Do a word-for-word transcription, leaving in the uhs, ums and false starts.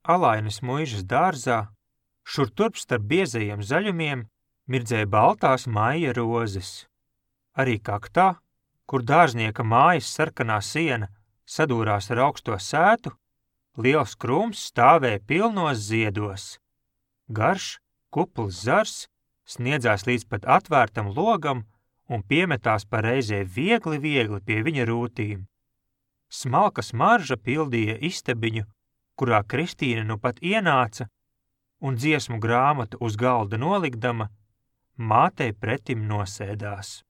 alainas muižas dārzā, šur turp starp biezajiem zaļumiem, mirdzēja baltās maija rozes. Arī kaktā, kur dārznieka mājas sarkanā siena sadūrās ar augsto sētu, liels krūms stāvēja pilnos ziedos. Garš, kupls zars sniedzās līdz pat atvērtam logam un piemetās pa reizē viegli, viegli pie viņa rūtīm. Smalka smarža pildīja istabiņu, kurā Kristīne nu pat ienāca, un dziesmu grāmatu uz galda nolikdama, mātei pretim nosēdās.